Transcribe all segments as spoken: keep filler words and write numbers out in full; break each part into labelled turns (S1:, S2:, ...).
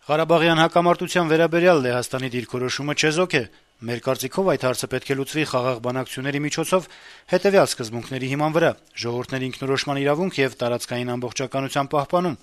S1: Ղարաբաղյան հակամարտության վերաբերյալ Լեհաստանի դիրքորոշումը չեզոք է: Մեր կարծիքով այդ հարցը պետք է լուծվի խաղաղ բանակցությունների միջոցով հետեւյալ սկզբունքների հիման վրա՝ ժողովուրդների ինքնորոշման իրավունք եւ տարածքային ամբողջականության պահպանում: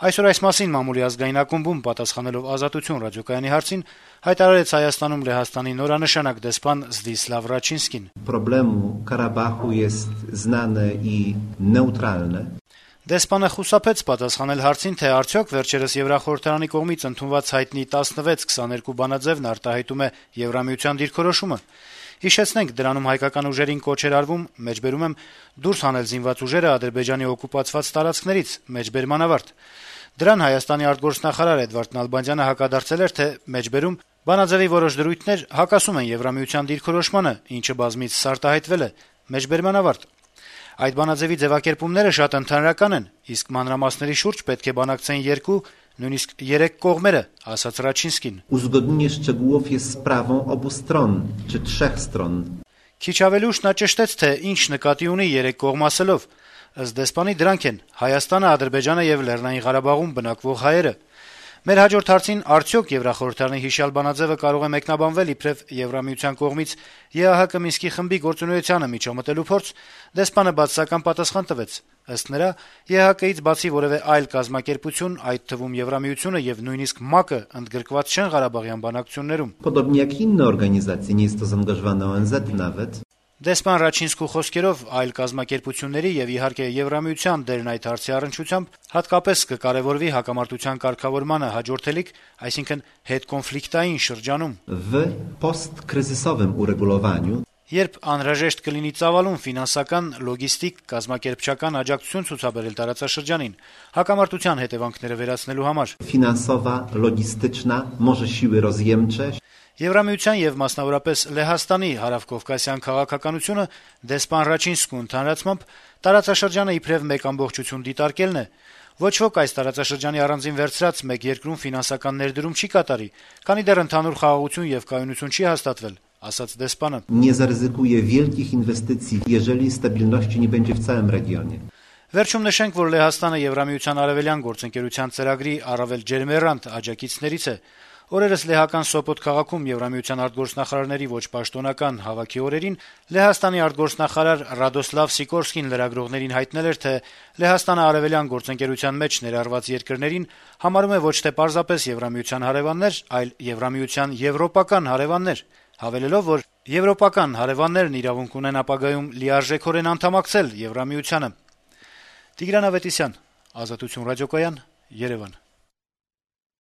S1: Այսօր այս մասին մամուլի ազգային ակումբում պատասխանելով «Ազատություն» ռադիոկայանի հարցին հայտարարեց Հայաստանում Լեհաստանի նորանշանակ դեսպան Զդիսլավ Ռաչինսկին:
S2: «Պրոբլեմը Ղարաբաղու jest znane i neutralne».
S1: Դեսպանը խուսափեց պատասխանել հարցին, թե արդյոք վերջերս Եվրախորհրդարանի կողմից ընդունված հայտնի տասնվեց քսաներկու բանաձեւն արտահայտում է Եվրամիության դիրքորոշումը: Հիշեցնենք, դրանում հայկական ուժերին կոչ էր արվում, մեջբերում եմ, դուրս հանել զինված ուժերը Ադրբեջանի օկուպացված տարածքներից, մեջբերման ավարտ: Դրան Հայաստանի արտգործնախարար Էդվարդ Նալբանդյանը հակադարձել էր, թե մեջբերում, բանաձեւի որոշ դրույթներ հակասում են Եվրամիության դիրքորոշմանը, ինչը բազմիցս արտահայտվել է, մեջբերման ավարտ: Այդ բանաձեւի ձեւակերպումները շատ ընդհանրական են, իսկ մանրամասների շուրջ պետք է բանակցեն երկու, նույնիսկ երեք կողմերը», - ասաց Ռաչինսկին:
S2: «Uzgodnienie szczegółów jest sprawą obu stron, czy trzech stron»:
S1: Քիչ ավելի ուշ նա ճշտեց, թե ինչ նկատի ունի երեք կողմ ասելով: Ըստ դեսպանի դրանք են Հայաստանը, Ադրբեջանը եւ Լեռնային Ղարաբաղում բնակվող հայերը: Մեր հաջորդ հարցին՝ արդյոք Եվրախորհրդարանի հիշյալ բանաձեւը կարող է մեկնաբանվել իբրեւ Եվրամիության կողմից ԵԱՀԿ Մինսկի խմբի գործունեությանը միջամտելու փորձ, դեսպանը բացասական պատասխան տվեց: Ըստ նրա, ԵԱՀԿ-ից բացի որեւէ այլ կազմակերպություն, այդ թվում Եվրամիությունը եւ նույնիսկ ՄԱԿ-ը ընդգրկված չեն ղարաբաղյան բանակցություններում:
S2: Podobnie jak inne organizacje, nie jest to zaangażowane O N Z nawet.
S1: Դեսպան Ռաչինսկու խոսքերով, այլ կազմակերպությունների եւ իհարկե Եվրամիության դերն այդ հարցի առնչությամբ հատկապես կկարեւորվի հակամարտության կարգավորմանը հաջորդելիք, այսինքն հետկոնֆլիկտային շրջանում:
S2: W postkryzysowym uregulowaniu.
S1: Երբ անհրաժեշտ կլինի ծավալուն ֆինանսական, լոգիստիկ, կազմակերպչական աջակցություն ցուցաբերել տարածաշրջանին հակամարտության հետեւանքները վերացնելու համար:
S2: Finansowa, logistyczna, może siły rozjemcze.
S1: Եվրամիության եւ մասնավորապես Լեհաստանի հարավկովկասյան քաղաքականությունը դեսպան Ռաչինսկու ընդհանրացմամբ տարածաշրջանը իբրեւ մեկ ամբողջություն դիտարկելն է: Ոչ ոք այս տարածաշրջանի առանձին վերցրած մեկ երկրում ֆինանսական ներդրում չի կատարի, քանի դեռ ընդհանուր խաղաղություն եւ կայունություն չի հաստատվել, ասաց դեսպանը:
S2: Nie zaryzykuje wielkich inwestycji, jeżeli stabilności nie będzie w całym regionie.
S1: Վերջում նշենք, որ Լեհաստանը Եվրամիության արևելյան գործընկերության ծրագրի առավել ջերմեռանդ աջակիցներից է: Օրերս լեհական Սոպոտ քաղաքում Եվրամիության արտգործնախարարների ոչ պաշտոնական հավաքի օրերին Լեհաստանի արտգործնախարար Ռադոսլավ Սիկորսկին լրագրողներին հայտնել էր, թե Լեհաստանը արևելյան գործընկերության մեջ ներառված երկրներին համարում է ոչ թե պարզապես Եվրամիության հարեւաններ, այլ Եվրամիության եվրոպական հարեւաններ, հավելելով, որ եվրոպական հարեւաններն իրավունք ունեն ապագայում լիարժեքորեն անդամակցել Եվրամիությանը: Տիգրան Ավետիսյան, Ազատություն ռադիոկայան, Երեւան: